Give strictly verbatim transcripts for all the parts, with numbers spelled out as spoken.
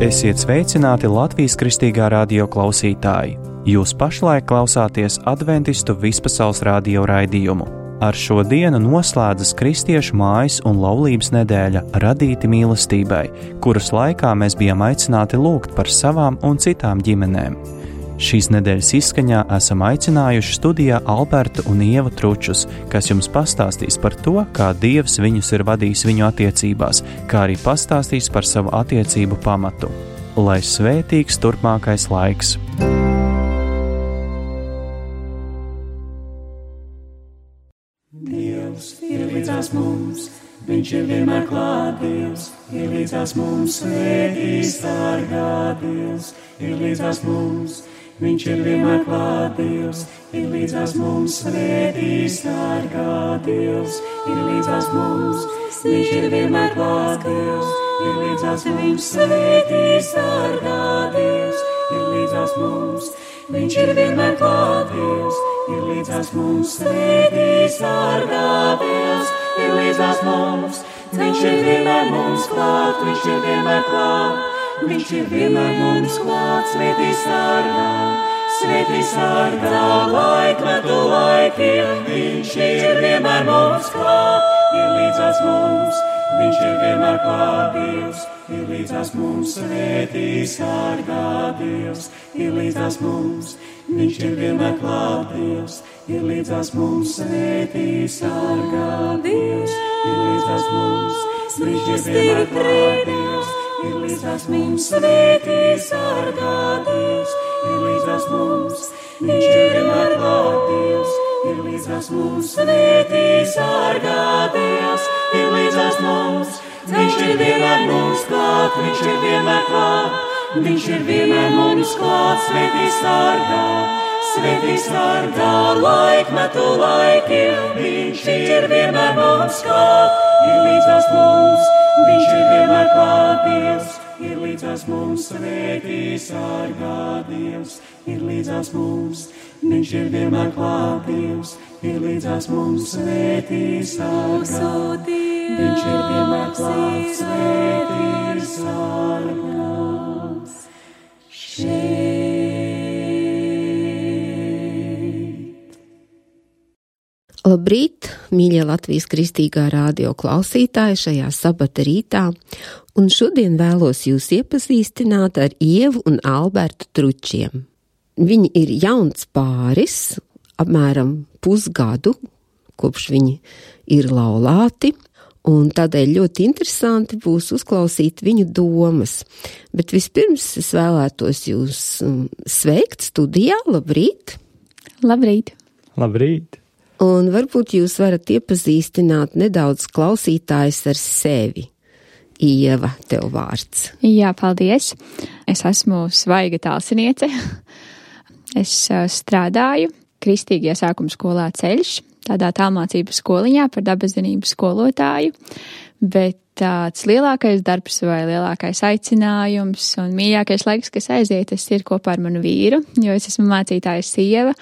Esiet sveicināti Latvijas Kristīgā radio klausītāji! Jūs pašlaik klausāties Adventistu vispasaules radio raidījumu. Ar šo dienu noslēdzas Kristiešu mājas un laulības nedēļa Radīti mīlestībai, kuras laikā mēs bijām aicināti lūgt par savām un citām ģimenēm. Šīs nedēļas izskaņā esam aicinājuši studijā Albertu un Ievu Tručus, kas jums pastāstīs par to, kā Dievs viņus ir vadījis viņu attiecībās, kā arī pastāstīs par savu attiecību pamatu. Lai svētīgs turpmākais laiks! Dievs ir līdzās mums, Viņš ir vienmēr klāt, Dievs ir līdzās mums, svētī sargā, Dievs ir līdzās mums. Viņš ir vienmēr klāt, Dievs ir līdzās mums, svētī sargā, Dievs ir līdzās mums. Viņš ir vienmēr klāt, Dievs ir līdzās mums, svētī sargā, Dievs ir līdzās mums. Viņš ir vienmēr klāt, Dievs ir līdzās mums, svētī sargā, Dievs ir līdzās mums. Viņš ir vienmēr mums klāt, Viņš ir vienmēr klāt. Viņš ir vienmēr mums klāt, svētī sargā, svētī sargā, laikmetu laikiem. Viņš ir vienmēr mums klāt, ir līdzās mums. Viņš ir vienmēr klāt, Dievs ir līdzās mums, svētī sargā, Dievs ir līdzās mums. Viņš ir vienmēr klāt, Dievs ir līdzās mums, svētī sargā, Dievs ir līdzās mums. Viņš ir vienmēr klāt, Dievs ir līdzās mums, svētī sargā, Dievs ir līdzās mums. Viņš ir vienmēr klāt, Dievs ir līdzās mums, svētī sargā, Dievs ir līdzās mums. Viņš ir vienmēr mums klāt, Viņš ir vienmēr klāt. Viņš ir vienmēr mums klāt, svētī sargā, svētī sargā, laikmetu laikiem. Viņš ir vienmēr mums klāt, ir līdzās mums. Viņš ir vienmēr klāt, Dievs ir līdzās mums, svētī sargā, Dievs ir līdzās mums. Viņš ir vienmēr klāt, Dievs ir līdzās mums, svētī sargā. Viņš ir vienmēr klāt, svētī sargā. Šeit. Labrīt, mīļie Latvijas Kristīgā radio klausītāji šajā sabata rītā, un šodien vēlos jūs iepazīstināt ar Ievu un Albertu Tručiem. Viņi ir jauns pāris, apmēram pusgadu, kopš viņi ir laulāti, un tādēļ ļoti interesanti būs uzklausīt viņu domas. Bet vispirms es vēlētos jūs sveikt studijā. Labrīt! Labrīt! Labrīt! Un varbūt jūs varat iepazīstināt nedaudz klausītājs ar sevi. Ieva, tev vārds. Jā, paldies. Es esmu Svaiga Tālsiniece. Es strādāju Kristīgajā sākuma skolā Ceļš, tādā tālmācību skoliņā par dabaszinību skolotāju, bet tāds lielākais darbs vai lielākais aicinājums un mīļākais laiks, kas aiziet, tas ir kopā ar manu vīru, jo es esmu mācītājas sieva.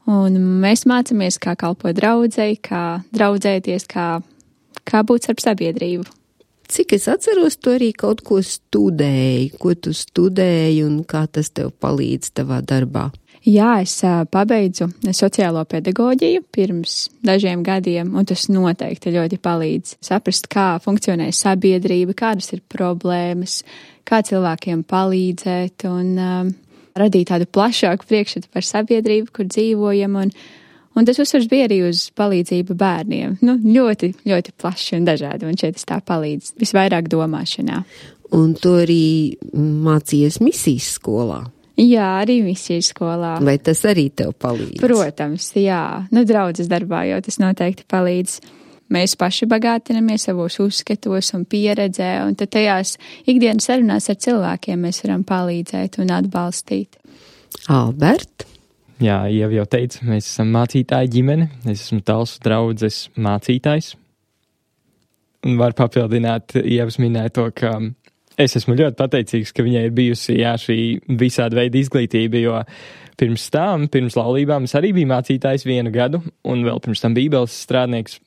Un mēs mācāmies, kā kalpot draudzei, kā draudzēties, kā, kā būt starp sabiedrību. Cik es atceros, tu arī kaut ko studēji, ko tu studēji un kā tas tev palīdz tavā darbā? Jā, es uh, pabeidzu sociālo pedagoģiju pirms dažiem gadiem, un tas noteikti ļoti palīdz saprast, kā funkcionē sabiedrība, kādas ir problēmas, kā cilvēkiem palīdzēt un uh, radīt tādu plašāku priekšstatu par sabiedrību, kur dzīvojam, un, un tas uzsvars bija arī uz palīdzību bērniem. Nu, ļoti, ļoti plaši un dažādi, un šeit tas tā palīdz visvairāk domāšanā. Un tu arī mācījies misijas skolā? Jā, arī misijas skolā. Vai tas arī tev palīdz? Protams, jā. Nu, draudzes darbā jau tas noteikti palīdz. Mēs paši bagātinamies savos uzskatos un pieredzē, un tad tajās ikdienas sarunās ar cilvēkiem mēs varam palīdzēt un atbalstīt. Albert? Jā, jau jau teicu, mēs esam mācītāji ģimene, es esmu Talsu draudzes mācītājs. Un var papildināt, Ievas minēja to, ka es esmu ļoti pateicīgs, ka viņai ir bijusi jā, šī visāda veida izglītība, jo pirms tam, pirms laulībām, es arī biju mācītājs vienu gadu, un vēl pirms tam bībeles strādnieks.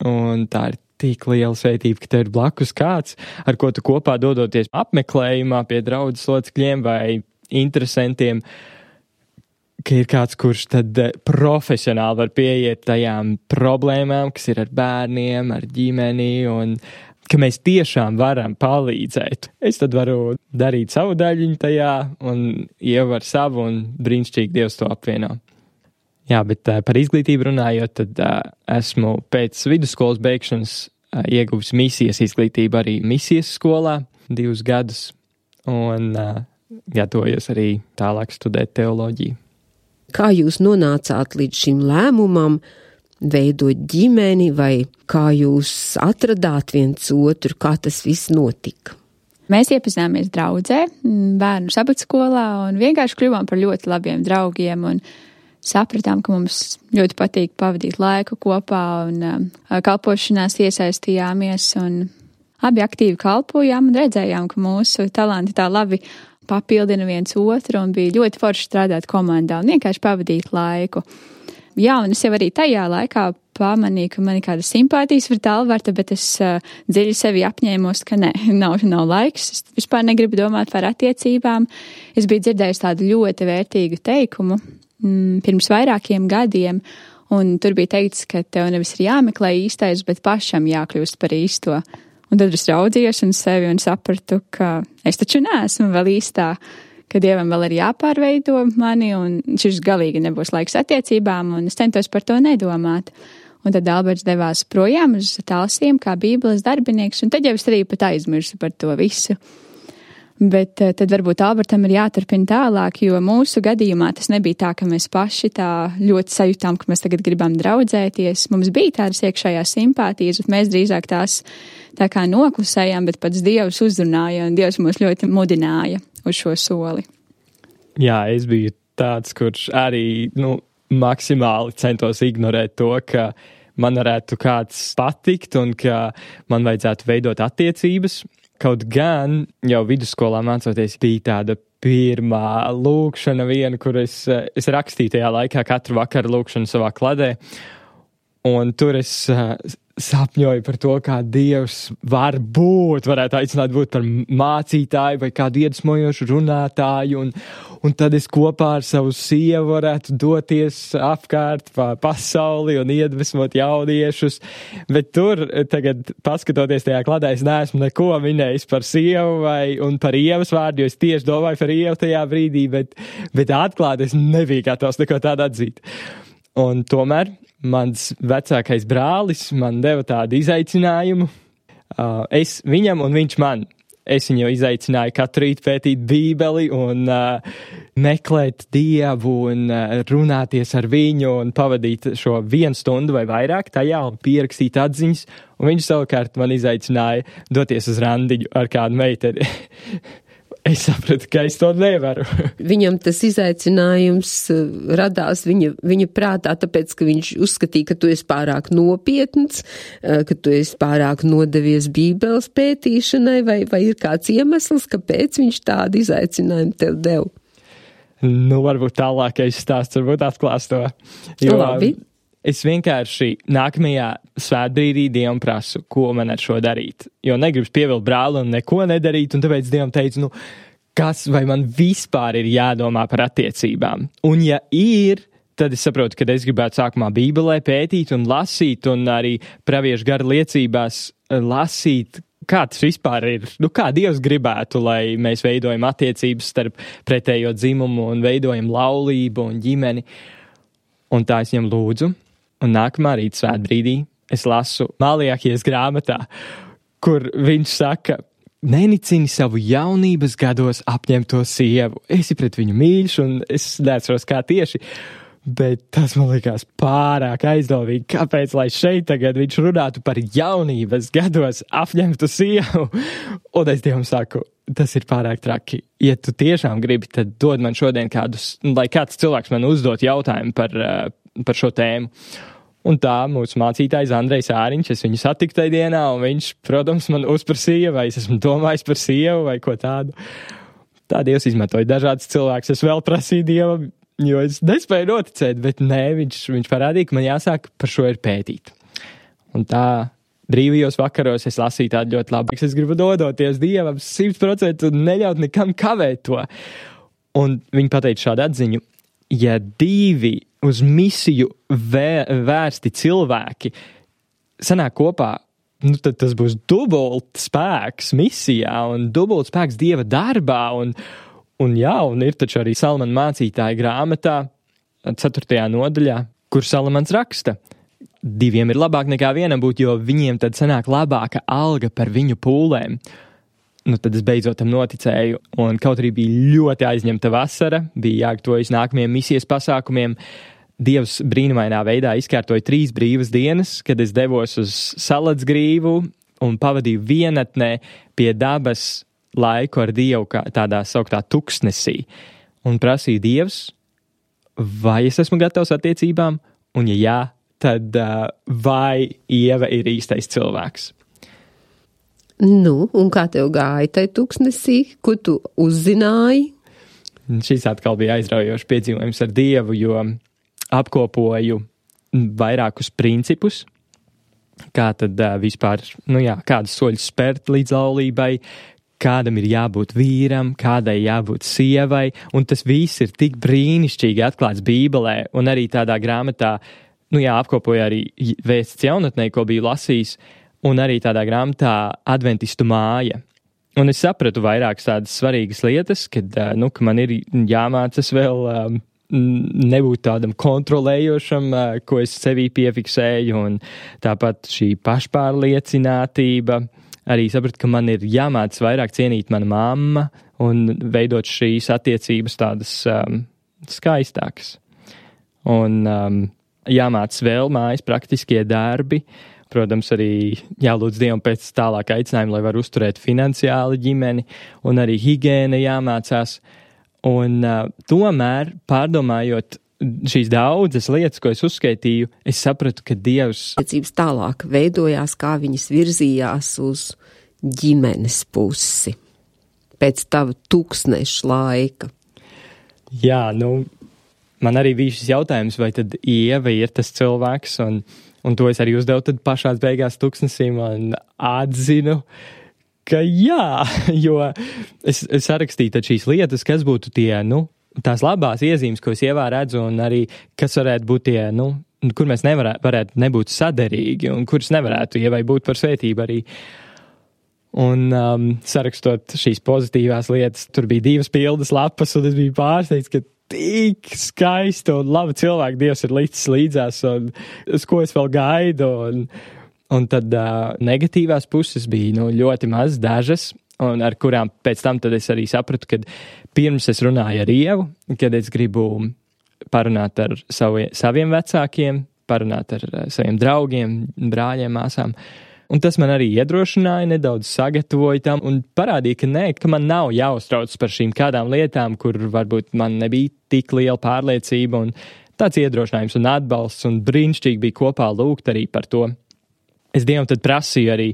Un tā ir tik liela svētība, ka tev ir blakus kāds, ar ko tu kopā dodoties apmeklējumā pie draudzes locekļiem vai interesantiem, ka ir kāds, kurš tad profesionāli var pieiet tajām problēmām, kas ir ar bērniem, ar ģimeni, un ka mēs tiešām varam palīdzēt. Es tad varu darīt savu daļiņu tajā, un Ieva ar savu, un brīnišķīgi Dievs to apvieno. Jā, bet uh, par izglītību runājot, tad uh, esmu pēc vidusskolas beigšanas uh, ieguvis misijas izglītību arī misijas skolā divus gadus, un uh, gatavojos arī tālāk studēt teoloģiju. Kā jūs nonācāt līdz šim lēmumam veidot ģimeni, vai kā jūs atradāt viens otru, kā tas viss notika? Mēs iepazināmies draudzē, bērnu sabatskolā, un vienkārši kļuvām par ļoti labiem draugiem, un sapratām, ka mums ļoti patīk pavadīt laiku kopā, un kalpošanās iesaistījāmies, un abi aktīvi kalpojām, un redzējām, ka mūsu talanti tā labi papildina viens otru, un bija ļoti forši strādāt komandā un vienkārši pavadīt laiku. Jā, un es jau arī tajā laikā pamanīju, ka man ir kāda simpātijas par Albertu, bet es uh, dziļi sevi apņēmos, ka ne, nav, nav laiks. Es vispār negribu domāt par attiecībām. Es biju dzirdējusi tādu ļoti vērtīgu teikumu mm, pirms vairākiem gadiem, un tur bija teikts, ka tev nevis ir jāmeklē īstais, bet pašam jākļūst par īsto. Un tad es raudzījos un sevi un sapratu, ka es taču neesmu vēl īstā, ka Dievam vēl ir jāpārveido mani, un šis galīgi nebūs laiks attiecībām, un es centos par to nedomāt. Un tad Alberts devās projām uz Talsiem kā bībeles darbinieks, un tad jau es arī pat aizmirsu par to visu. Bet tad varbūt Albertam ir jāturpina tālāk, jo mūsu gadījumā tas nebija tā, ka mēs paši tā ļoti sajūtām, ka mēs tagad gribam draudzēties. Mums bija tādas iekšējās simpātijas, bet mēs drīzāk tās tā kā noklusējām, bet pats Dievs uzrunāja, un Dievs mūs ļoti mudināja uz šo soli. Jā, es biju tāds, kurš arī, nu, maksimāli centos ignorēt to, ka man varētu kāds patikt un ka man vajadzētu veidot attiecības. Kaut gan jau vidusskolā mācoties bija tāda pirmā lūkšana viena, kur es, es rakstīju tajā laikā katru vakaru lūkšanu savā kladē. Un tur es uh, sapņoju par to, kā Dievs var būt, varētu aicināt būt par mācītāju vai kādu iedvesmojošu runātāju. Un, un tad es kopā ar savu sievu varētu doties apkārt pa pasauli un iedvesmot jauniešus. Bet tur, tagad paskatoties tajā kladē, es neesmu neko minējis par sievu vai un par Ievas vārdu, jo es tieši domāju par Ievu tajā brīdī, bet, bet atklāt es nebiju gatavs neko tādu atzīt. Un tomēr mans vecākais brālis man deva tādu izaicinājumu. Uh, es viņam un viņš man. Es viņu izaicināju katru rītu pētīt Bībeli un uh, meklēt Dievu un uh, runāties ar viņu un pavadīt šo vienu stundu vai vairāk tajā un pierakstīt atziņas. Un viņš savukārt man izaicināja doties uz randiņu ar kādu meiteni. Es sapratu, ka es to nevaru. Viņam tas izaicinājums radās viņa, viņa prātā, tāpēc, ka viņš uzskatīja, ka tu esi pārāk nopietns, ka tu esi pārāk nodevies Bībeles pētīšanai, vai, vai ir kāds iemesls, kāpēc viņš tādu izaicinājumu tev dev? Nu, varbūt tālākais stāsts, varbūt atklās to. Jo, Labi. Es vienkārši nākamajā svētbrīdī Dievam prasu, ko man ar šo darīt. Jo negribas pievilkt brāli un neko nedarīt, un tāpēc Dievam teicu, nu, kas vai man vispār ir jādomā par attiecībām? Un ja ir, tad es saprotu, ka es gribētu sākumā Bībelē pētīt un lasīt, un arī praviešu gara liecībās lasīt, kā tas vispār ir, nu kā Dievs gribētu, lai mēs veidojam attiecības starp pretējo dzimumu un veidojam laulību un ģimeni. Un tā es viņam lūdzu. Un nākamā rīta svētbrīdī es lasu Malajākijas grāmatā, kur viņš saka, nenicini savu jaunības gados apņemto sievu. Esi pret viņu mīļš, un es neatceros kā tieši, bet tas man likās pārāk aizdomīgi. Kāpēc, lai šeit tagad viņš runātu par jaunības gados apņemtu sievu? Un es Dievam saku, tas ir pārāk traki. Ja tu tiešām gribi, tad dod man šodien kādus, lai kāds cilvēks man uzdot jautājumu par par šo tēmu. Un tā mūsu mācītājs Andrejs Āriņš, es viņu satiku tajā dienā, un viņš, protams, man uzprasīja, vai es esmu domājis par sievu vai ko tādu. Tā Dievs izmantoja dažādas cilvēkus. Es vēl prasīju Dievam, jo es nespēju noticēt, bet nē, viņš, viņš parādīja, ka man jāsāk par šo ir pētīt. Un tā brīvajos vakaros es lasīju tādu ļoti labu. Es gribu dodoties Dievam simt procentu un neļaut nekam kavēt to. Un viņi pateica šādu atziņu, ja divi uz misiju vē, vērsti cilvēki sanāk kopā, nu tad tas būs dubult spēks misijā un dubult spēks Dieva darbā. Un, un jā, un ir taču arī Salamana mācītāja grāmatā, ceturtajā nodaļā, kur Salamans raksta. Diviem ir labāk nekā vienam būt, jo viņiem tad sanāk labāka alga par viņu pūlēm. Nu, tad es beidzot tam noticēju, un kaut arī bija ļoti aizņemta vasara, bija jāgatavojas nākamajiem misijas pasākumiem. Dievs brīnumainā veidā izkārtoja trīs brīvas dienas, kad es devos uz Salatsgrīvu un pavadīju vienatnē pie dabas laiku ar Dievu kā tādā sauktā tuksnesī. Un prasīju Dievs, vai es esmu gatavs attiecībām, un ja jā, tad uh, vai Ieva ir īstais cilvēks. Nu, un kā tev gāja tai tuksnesī? Ko tu uzzināji? Šis atkal bija aizraujošs piedzīvojums ar Dievu, jo apkopoju vairākus principus, kā tad uh, vispār, nu jā, kādus soļus spērt līdz laulībai, kādam ir jābūt vīram, kādai jābūt sievai, un tas viss ir tik brīnišķīgi atklāts Bībelē, un arī tādā grāmatā, nu jā, apkopoju arī Vēsts jaunatnē, ko biju lasījis, un arī tādā grāmatā Adventistu māja. Un es sapratu vairākas tādas svarīgas lietas, kad, nu, ka man ir jāmācas vēl um, nebūt tādam kontrolējošam, uh, ko es sevī piefiksēju, un tāpat šī pašpārliecinātība. Arī sapratu, ka man ir jāmācas vairāk cienīt mana mamma un veidot šīs attiecības tādas um, skaistākas. Un um, jāmācas vēl mājas praktiskie darbi. Protams, arī jālūdz Dievam pēc tālāk aicinājuma, lai var uzturēt finansiāli ģimeni, un arī higiēna jāmācās. Un uh, tomēr, pārdomājot šīs daudzas lietas, ko es uzskaitīju, es sapratu, ka Dievs... Attiecības tālāk veidojās, kā viņas virzījās uz ģimenes pusi pēc tava tūkstneša laika. Jā, nu, man arī bija šis jautājums, vai tad Ieva ir tas cilvēks, un... Un to es arī uzdevu tad pašās beigās tuksnesim un atzinu, ka jā, jo es, es sarakstīju tad šīs lietas, kas būtu tie, nu, tās labās iezīmes, ko es Ievā redzu, un arī kas varētu būt tie, nu, kur mēs nevarētu, varētu nebūt saderīgi, un kuras nevarētu Ievai būt par svētību arī. Un um, sarakstot šīs pozitīvās lietas, tur bija divas pildas lapas, un es biju pārsteigts, ka tik skaista un laba cilvēka Dievs ir licis līdzās, un uz ko es vēl gaidu. Un, un tad uh, negatīvās puses bija nu, ļoti maz, dažas, un ar kurām pēc tam tad es arī sapratu, kad pirms es runāju ar Ievu, kad es gribu parunāt ar savi, saviem vecākiem, parunāt ar uh, saviem draugiem, brāļiem, māsām. Un tas man arī iedrošināja, nedaudz sagatavoja tam un parādīja, ka nē, ka man nav jāuztrauc par šīm kādām lietām, kur varbūt man nebija tik liela pārliecība, un tāds iedrošinājums un atbalsts, un brīnišķīgi bija kopā lūgt arī par to. Es Dievam tad prasīju arī,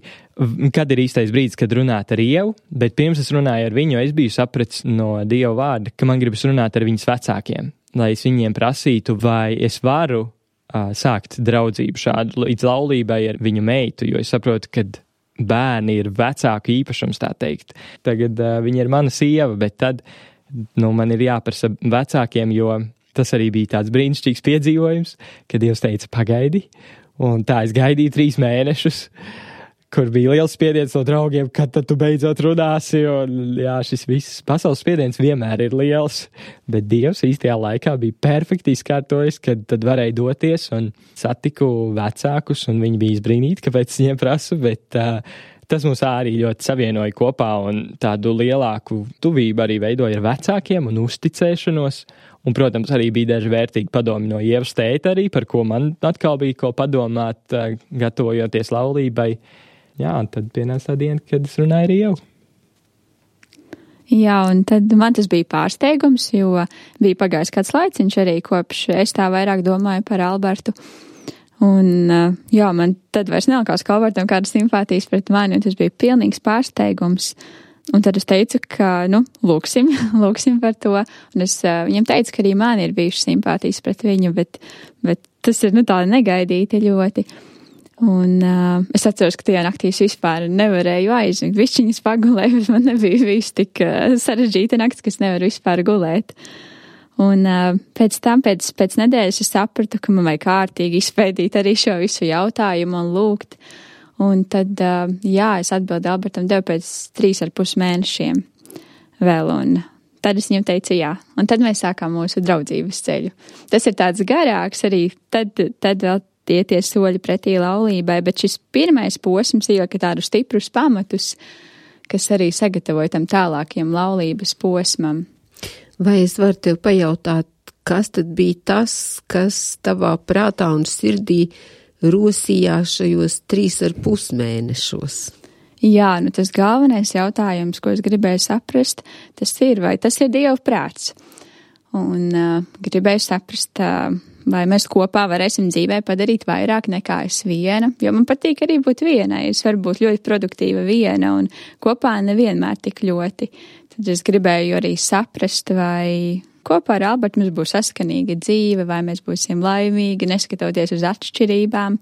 kad ir īstais brīdis, kad runāt ar Ievu, bet pirms es runāju ar viņu, es biju sapratis no Dieva vārda, ka man gribas runāt ar viņas vecākiem, lai es viņiem prasītu, vai es varu sākt draudzību šādu līdz laulībai ar viņu meitu, jo es saprotu, ka bērni ir vecāku īpašums, tā teikt. Tagad uh, viņa ir mana sieva, bet tad nu, man ir jāprasa vecākiem, jo tas arī bija tāds brīnišķīgs piedzīvojums, kad Dievs teica pagaidi, un tā es gaidīju trīs mēnešus, kur bija liels spiediens no draugiem, kad tad tu beidzot runāsi, un jā, šis viss pasaules spiediens vienmēr ir liels, bet Dievs īstajā laikā bija perfekti izkārtojis, kad tad varēja doties, un satiku vecākus, un viņi bija izbrīnīti, kāpēc viņiem prasu, bet uh, tas mums arī ļoti savienoja kopā, un tādu lielāku tuvību arī veidoja ar vecākiem un uzticēšanos, un, protams, arī bija daži vērtīgi padomi no Ievas tēta arī, par ko man atkal bija ko padomāt, uh, gatavojoties laulībai. Jā, un tad pienāca tā diena, kad es runāju ar Ievu. Jā, un tad man tas bija pārsteigums, jo bija pagājis kāds laiciņš arī, kopš es tā vairāk domāju par Albertu. Un jā, man tad vairs nelikās, ka Albertam kādas simpātijas pret mani, un tas bija pilnīgs pārsteigums. Un tad es teicu, ka, nu, lūksim, lūksim par to. Un es viņam teicu, ka arī man ir bijušas simpātijas pret viņu, bet, bet tas ir, nu, tā negaidīti ļoti. Un uh, es atceros, ka tajā naktī es vispār nevarēju aizmigt. Višķiņas pagulēju, bet man nebija viss tik uh, sarežģīta nakts, ka es nevaru vispār gulēt. Un uh, pēc tam, pēc, pēc nedēļas es sapratu, ka man vajag kārtīgi izpētīt arī šo visu jautājumu un lūgt. Un tad, uh, jā, es atbildu Albertam devu pēc trīs ar pus mēnešiem vēl, un tad es viņam teicu jā. Un tad mēs sākām mūsu draudzības ceļu. Tas ir tāds garāks arī, tad, tad vēl tie tie soļi pretī laulībai, bet šis pirmais posms ielika tādus stiprus pamatus, kas arī sagatavoja tam tālākiem laulības posmam. Vai es varu tev pajautāt, kas tad bija tas, kas tavā prātā un sirdī rosījās šajos trīs ar pus mēnešos? Jā, nu tas galvenais jautājums, ko es gribēju saprast, tas ir, vai tas ir Dieva prāts. Un uh, gribēju saprast, uh, vai mēs kopā varēsim dzīvē padarīt vairāk nekā es viena, jo man patīk arī būt vienai. Es varu būt ļoti produktīva viena un kopā nevienmēr tik ļoti. Tad es gribēju arī saprast, vai kopā ar Albertu mums būs saskanīga dzīve, vai mēs būsim laimīgi, neskatoties uz atšķirībām.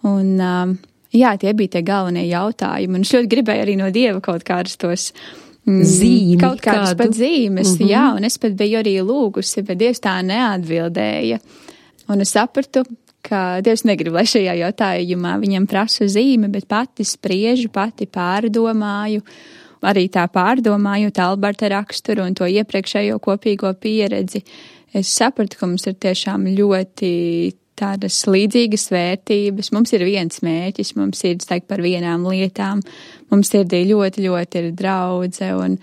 Un, um, jā, tie bija tie galvenie jautājumi. Un es ļoti gribēju arī no Dieva kaut kādus tos Zīmi, kaut kādas kādu. pat zīmes, Mm-hmm. jā, un es pat biju arī lūgusi, bet Dievs tā neatbildēja. Un es sapratu, ka Dievs negrib, lai šajā jautājumā viņam prasa zīme, bet pati spriežu, pati pārdomāju, arī tā pārdomājot Alberta raksturu un to iepriekšējo kopīgo pieredzi. Es sapratu, ka mums ir tiešām ļoti tādas līdzīgas vērtības. Mums ir viens mērķis, mums ir steigt par vienām lietām, mums sirdī ļoti, ļoti ir draudze, un,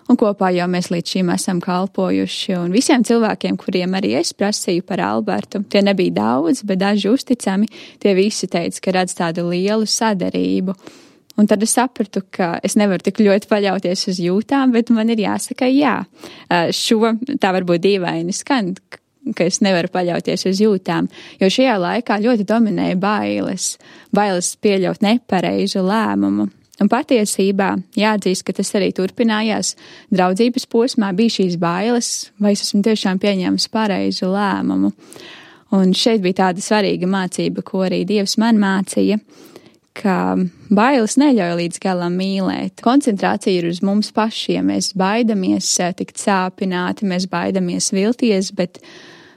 un kopā jau mēs līdz šim esam kalpojuši. Un visiem cilvēkiem, kuriem arī es prasīju par Albertu, tie nebija daudz, bet daži uzticami, tie visi teica, ka redz tādu lielu sadarību. Un tad es sapratu, ka es nevaru tik ļoti paļauties uz jūtām, bet man ir jāsaka jā. Šo tā varbūt dīvaini skan, ka es nevaru paļauties uz jūtām, jo šajā laikā ļoti dominēja bailes, bailes pieļaut nepareizu lēmumu. Un patiesībā jāatzīst, ka tas arī turpinājās draudzības posmā, bija šīs bailes, vai es esmu tiešām pieņēmis pareizu lēmumu. Un šeit bija tāda svarīga mācība, ko arī Dievs man mācīja, ka bailes neļauj līdz galam mīlēt. Koncentrācija ir uz mums pašiem. Mēs baidamies tikt sāpināti, mēs baidamies vilties, bet,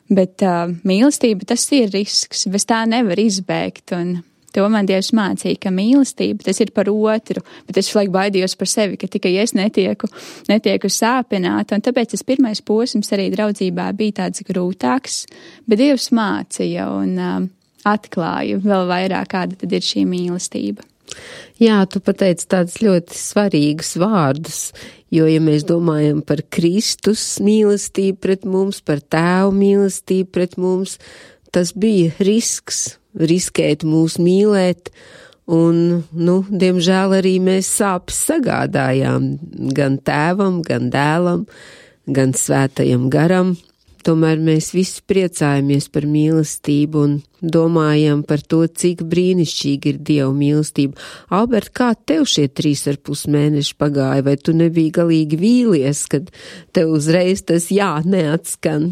bet uh, mīlestība tas ir risks. Bez tā nevar izbēgt. Un to man Dievs mācīja, ka mīlestība tas ir par otru, bet es šlaik baidījos par sevi, ka tikai es netieku, netieku sāpināta. Un tāpēc tas pirmais posms arī draudzībā bija tāds grūtāks, bet Dievs mācīja un uh, atklāju vēl vairāk, kāda tad ir šī mīlestība. Jā, tu pateici tādus ļoti svarīgus vārdus, jo, ja mēs domājam par Kristus mīlestību pret mums, par Tēvu mīlestību pret mums, tas bija risks, riskēt mūs mīlēt, un, nu, diemžēl arī mēs sāpes sagādājām gan Tēvam, gan Dēlam, gan Svētajam garam. Tomēr mēs visi priecājamies par mīlestību un domājam par to, cik brīnišķīgi ir Dieva mīlestība. Albert, kā tev šie trīs ar pus mēneši pagāja, vai tu nebija galīgi vīlies, kad tev uzreiz tas jā neatskan?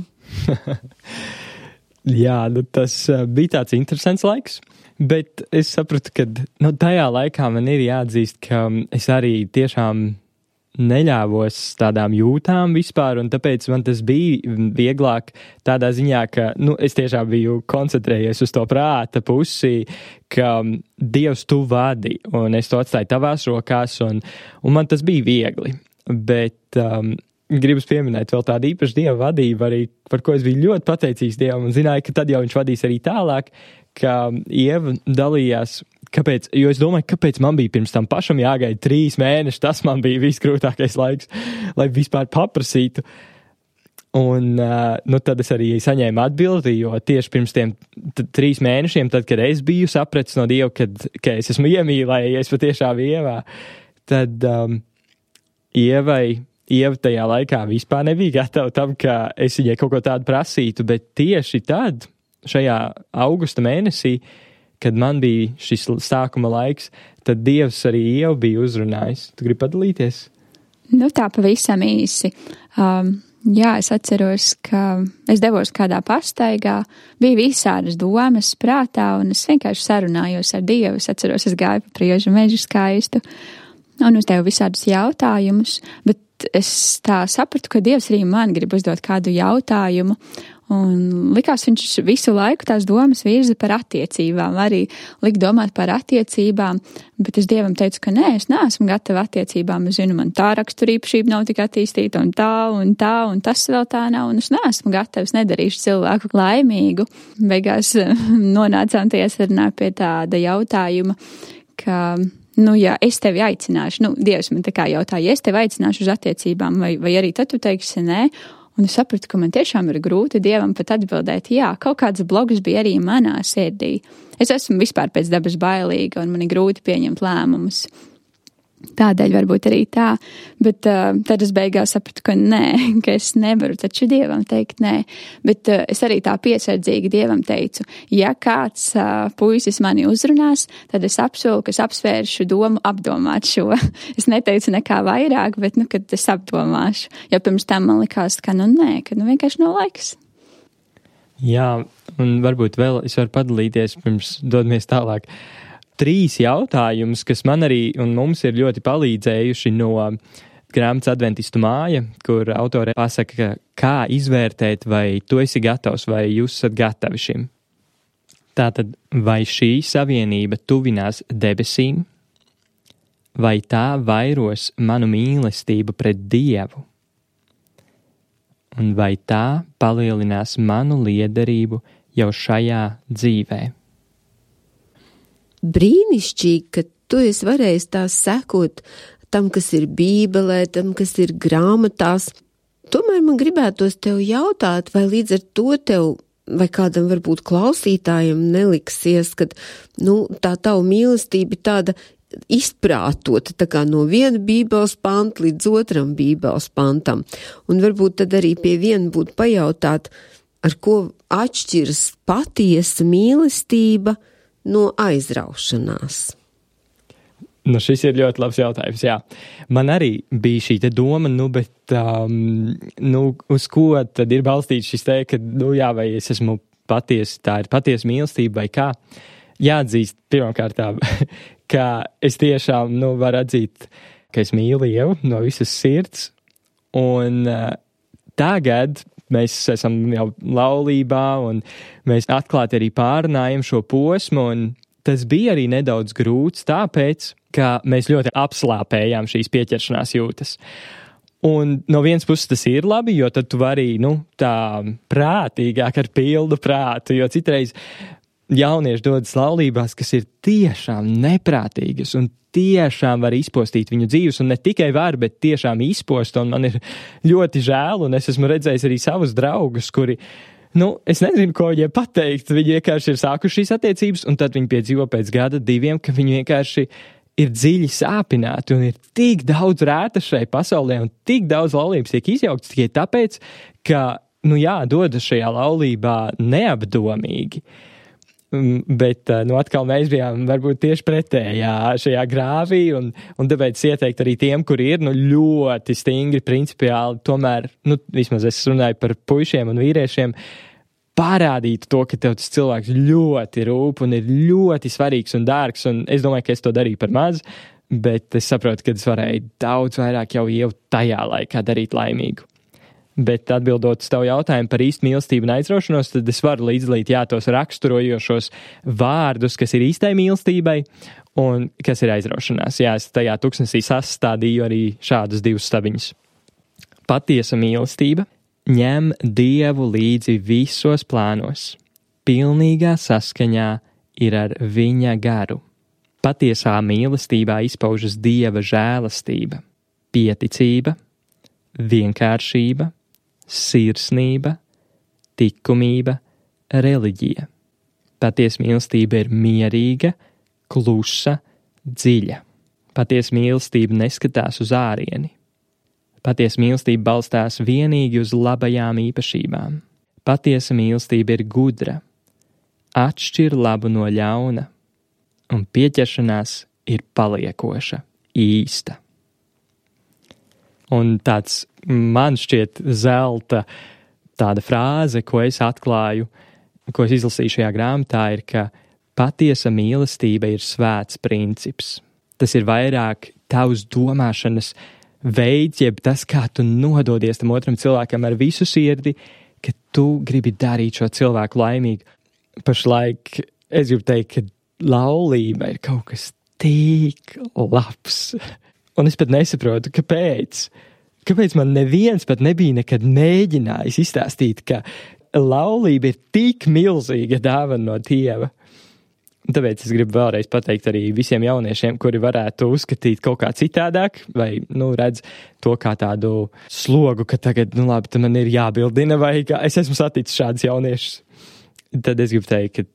Jā, nu tas uh, bija tāds interesants laiks, bet es sapratu, ka nu, tajā laikā man ir jāatzīst, ka es arī tiešām neļāvos tādām jūtām vispār, un tāpēc man tas bija vieglāk tādā ziņā, ka, nu, es tiešām biju koncentrējies uz to prāta pusi, ka Dievs tu vadi, un es to atstāju tavās rokās, un, un man tas bija viegli. Bet um, gribas pieminēt vēl tādu īpašu Dieva vadību, arī, par ko es biju ļoti pateicīgs Dievam, un zināju, ka tad jau viņš vadīs arī tālāk, ka Ieva dalījās. Kāpēc? Jo es domāju, kāpēc man bija pirms tam pašam jāgaida trīs mēneši, tas man bija visgrūtākais laiks, lai vispār paprasītu. Un, uh, nu, tad es arī saņēmu atbildi, jo tieši pirms tiem t- trīs mēnešiem, tad, kad es biju sapratis no Dieva, kad, ka es esmu iemīlējies patiešām Ievā, tad um, Ievai, Ieva tajā laikā vispār nebija gatava tam, ka es viņai kaut ko tādu prasītu, bet tieši tad, šajā augusta mēnesī, kad man bija šis sākuma laiks, tad Dievs arī jau bija uzrunājis. Tu gribi padalīties? Nu tā pavisam īsi. Um, Jā, es atceros, ka es devos kādā pastaigā, bija visādas domas prātā, un es vienkārši sarunājos ar Dievu. Es atceros, es gāju pa priežu mežu skaistu un uzdevu visādus jautājumus, bet es tā sapratu, ka Dievs arī man grib uzdot kādu jautājumu, un likās viņš visu laiku tās domas virza par attiecībām, arī lik domāt par attiecībām, bet es Dievam teicu, ka nē, es neesmu gatava attiecībām, es zinu, man tā raksturīpašība nav tik attīstīta, un tā, un tā, un tas vēl tā nav, un es neesmu gatavs, nedarīšu cilvēku laimīgu. Beigās nonācām tajā sarunā pie tāda jautājuma, ka, nu, ja es tevi aicināšu, nu, Dievs man tā kā jautā, ja es tevi aicināšu uz attiecībām, vai, vai arī tad tu teiksi nē, un es sapratu, ka man tiešām ir grūti Dievam pat atbildēt, jā, kaut kāds bloks bija arī manā sirdī. Es esmu vispār pēc dabas bailīga, un man ir grūti pieņemt lēmumus. Tādēļ varbūt arī tā, bet uh, tad es beigās sapratu, ka nē, ka es nevaru taču Dievam teikt nē, bet uh, es arī tā piesardzīgi Dievam teicu, ja kāds uh, puisis mani uzrunās, tad es apsolu, ka es apsvēršu domu apdomāt šo. Es neteicu nekā vairāk, bet, nu, kad es apdomāšu, jo pirms tam man likās, ka, nu, nē, ka, nu, vienkārši nav laiks. Jā, un varbūt vēl es varu padalīties pirms dodamies tālāk. Trīs jautājumus, kas man arī un mums ir ļoti palīdzējuši no grāmatas Adventistu māja, kur autore pasaka, kā izvērtēt, vai tu esi gatavs, vai jūs esat gatavi šim. Tātad, vai šī savienība tuvinās debesīm, vai tā vairos manu mīlestību pret Dievu, un vai tā palielinās manu liederību jau šajā dzīvē. Brīnišķīgi, ka tu esi varējis tās sekot tam, kas ir Bībelē, tam, kas ir grāmatās. Tomēr man gribētos tev jautāt, vai līdz ar to tev, vai kādam varbūt klausītājiem neliksies, ka, nu, tā tava mīlestība ir tāda izprātota, tā kā no viena Bībeles panta līdz otram Bībeles pantam. Un varbūt tad arī pie viena būtu pajautāt, ar ko atšķiras patiesa mīlestība no aizraušanās? Nu, šis ir ļoti labs jautājums, jā. Man arī bija šī te doma, nu, bet, um, nu, uz ko tad ir balstīts šis te, ka, nu, jā, vai es esmu patiesi, tā ir patiesa mīlestība vai kā. Jāatzīst pirmkārt, ka es tiešām, nu, varu atzīt, ka es mīlu Dievu no visas sirds, un uh, tagad mēs esam jau laulībā, un mēs atklāti arī pārunājam šo posmu, un tas bija arī nedaudz grūts, tāpēc, ka mēs ļoti apslāpējām šīs pieķeršanās jūtas. Un no vienas puses tas ir labi, jo tad tu vari, nu, tā prātīgāk ar pildu prātu, jo citreiz jaunieši dodas laulībās, kas ir tiešām neprātīgas un tiešām var izpostīt viņu dzīves, un ne tikai var, bet tiešām izpost, un man ir ļoti žēl, un es esmu redzējis arī savus draugus, kuri, nu, es nezinu, ko viņiem pateikt, viņi vienkārši ir sākuši šīs attiecības, un tad viņi piedzīvo pēc gada diviem, ka viņi vienkārši ir dziļi sāpināti, un ir tik daudz rēta šai pasaulē, un tik daudz laulības tiek izjauktas tikai tāpēc, ka, nu jā, dodas šajā laulībā neapdomīgi. Bet, nu, atkal mēs bijām varbūt tieši pretējā šajā grāvī, un, un tāpēc ieteikt arī tiem, kuri ir, nu, ļoti stingri, principiāli, tomēr, nu, vismaz es runāju par puišiem un vīriešiem, parādīt to, ka tev tas cilvēks ļoti rūp un ir ļoti svarīgs un dārgs, un es domāju, ka es to darīju par maz, bet es saprotu, ka es varēju daudz vairāk jau jau tajā laikā darīt laimīgu. Bet atbildot uz tavu jautājumu par īstu mīlestību un aizraušanos, tad es varu līdzdalīt, jā, tos raksturojošos vārdus, kas ir īstai mīlestībai un kas ir aizraušanās. Jā, es tajā tūkstnesī sastādīju arī šādus divus stabiņus. Patiesa mīlestība ņem Dievu līdzi visos plānos. Pilnīgā saskaņā ir ar viņa garu. Patiesā mīlestībā izpaužas Dieva žēlastība, pieticība, vienkāršība, sirsnība, likumība, reliģija. Patiesa mīlestība ir mierīga, klusa, dziļa. Patiesa mīlestība neskatās uz ārieni. Patiesa mīlestība balstās vienīgi uz labajām īpašībām. Patiesa mīlestība ir gudra, atšķir labu no ļauna, un pieķeršanās ir paliekoša, īsta. Un tāds man šķiet zelta tāda frāze, ko es atklāju, ko es izlasīju šajā grāmatā, ir, ka patiesa mīlestība ir svēts princips. Tas ir vairāk tavs domāšanas veids, jeb tas, kā tu nododies tam otram cilvēkam ar visu sirdi, ka tu gribi darīt šo cilvēku laimīgu. Pašlaik es gribu teikt, ka laulība ir kaut kas tik labs. Un es pat nesaprotu, kāpēc. Kāpēc man neviens pat nebija nekad mēģinājis izstāstīt, ka laulība ir tik milzīga dāvana no Dieva. Un tāpēc es gribu vēlreiz pateikt arī visiem jauniešiem, kuri varētu uzskatīt kaut kā citādāk, vai, nu, redz to kā tādu slogu, ka tagad, nu, labi, tad man ir jābildina, vai kā es esmu saticis šādus jauniešus. Tad es gribu teikt, ka,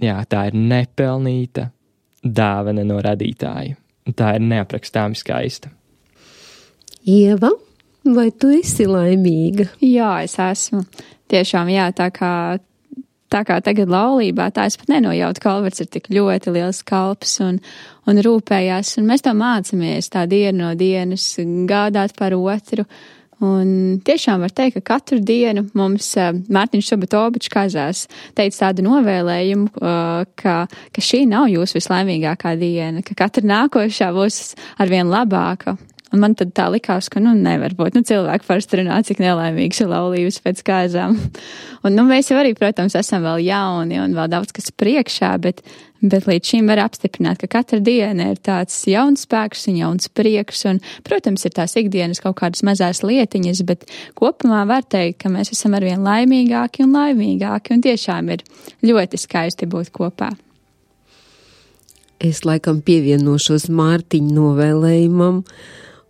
jā, tā ir nepelnīta dāvana no radītāja. Tā ir neaprakstāmi skaista. Ieva, vai tu esi laimīga? Jā, es esmu. Tiešām, jā, tā kā, tā kā tagad laulībā, tā es pat nenojautu, ka Alberts ir tik ļoti liels kalps un, un rūpējās, un mēs to mācamies tā dienu no dienas, gādāt par otru. Un tiešām var teikt, ka katru dienu mums Mārtiņš Sobatovičs kazās teica tādu novēlējumu, ka, ka šī nav jūsu vislaimīgākā diena, ka katra nākošā būs arvien labāka. Un man tad tā likās, ka, nu, nevar būt. Nu, cilvēki parasti runā, cik nelaimīgs ir laulības pēc kāzām. Un, nu, mēs jau arī, protams, esam vēl jauni un vēl daudz kas priekšā, bet, bet līdz šim var apstiprināt, ka katra diena ir tāds jauns spēks un jauns prieks. Un, protams, ir tās ikdienas kaut kādas mazās lietiņas, bet kopumā var teikt, ka mēs esam arvien laimīgāki un laimīgāki. Un tiešām ir ļoti skaisti būt kopā. Es laikam pievienošos Mārtiņa novēlējumam.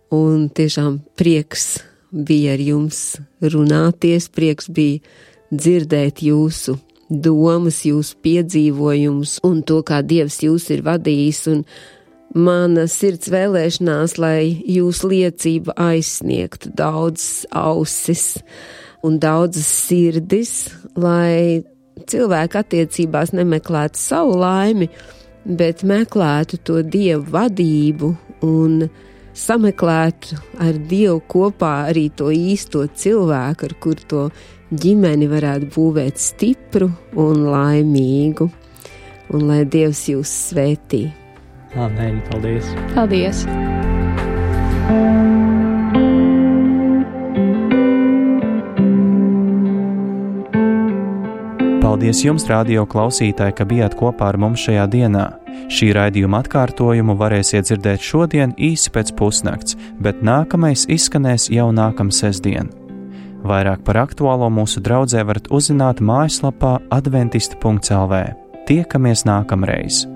Un tiešām prieks bija ar jums runāties, prieks bija dzirdēt jūsu domas, jūsu piedzīvojumus un to, kā Dievs jūs ir vadījis. Un mana sirds vēlēšanās, lai jūsu liecība aizsniegtu daudzas ausis un daudzas sirdis, lai cilvēki attiecībās nemeklētu savu laimi, bet meklētu to Dievu vadību un sameklētu ar Dievu kopā arī to īsto cilvēku, ar kur to ģimeni varētu būvēt stipru un laimīgu. Un lai Dievs jūs svētī. Amen, paldies. Paldies. Paldies jums, radio klausītāji, ka bijāt kopā ar mums šajā dienā. Šī raidījuma atkārtojumu varēsiet dzirdēt šodien īsi pēc pusnakts, bet nākamais izskanēs jau nākamā sestdien. Vairāk par aktuālo mūsu draudzē varat uzzināt mājaslapā adventisti punkts el vē. Tiekamies nākamreiz!